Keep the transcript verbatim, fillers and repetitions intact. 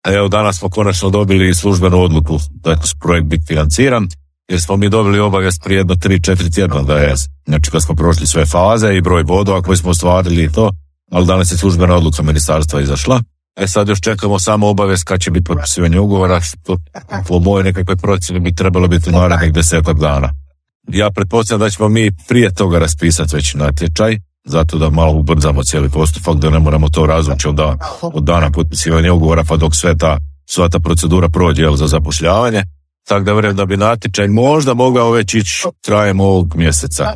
Evo, danas smo konačno dobili službenu odluku da će projekt biti financiran, jer smo mi dobili obavijest prije jedno tri četiri tjedna da je, znači kad smo prošli sve faze i broj bodova koje smo ostvarili i to, ali danas je službena odluka ministarstva izašla. E sad još čekamo samo obavijest kad će biti potpisivanje ugovora, što po mojoj nekakvoj procjeni bi trebalo biti u narednih desetak dana. Ja pretpostavljam da ćemo mi prije toga raspisati već natječaj, zato da malo ubrzamo cijeli postupak, da ne moramo to razvući od, da, od dana potpisivanja ugovora pa dok sve ta, sva ta procedura prođe jel, za zapošljavanje. Tako da vjerujem da bi natječaj možda mogao već ići krajem ovog mjeseca.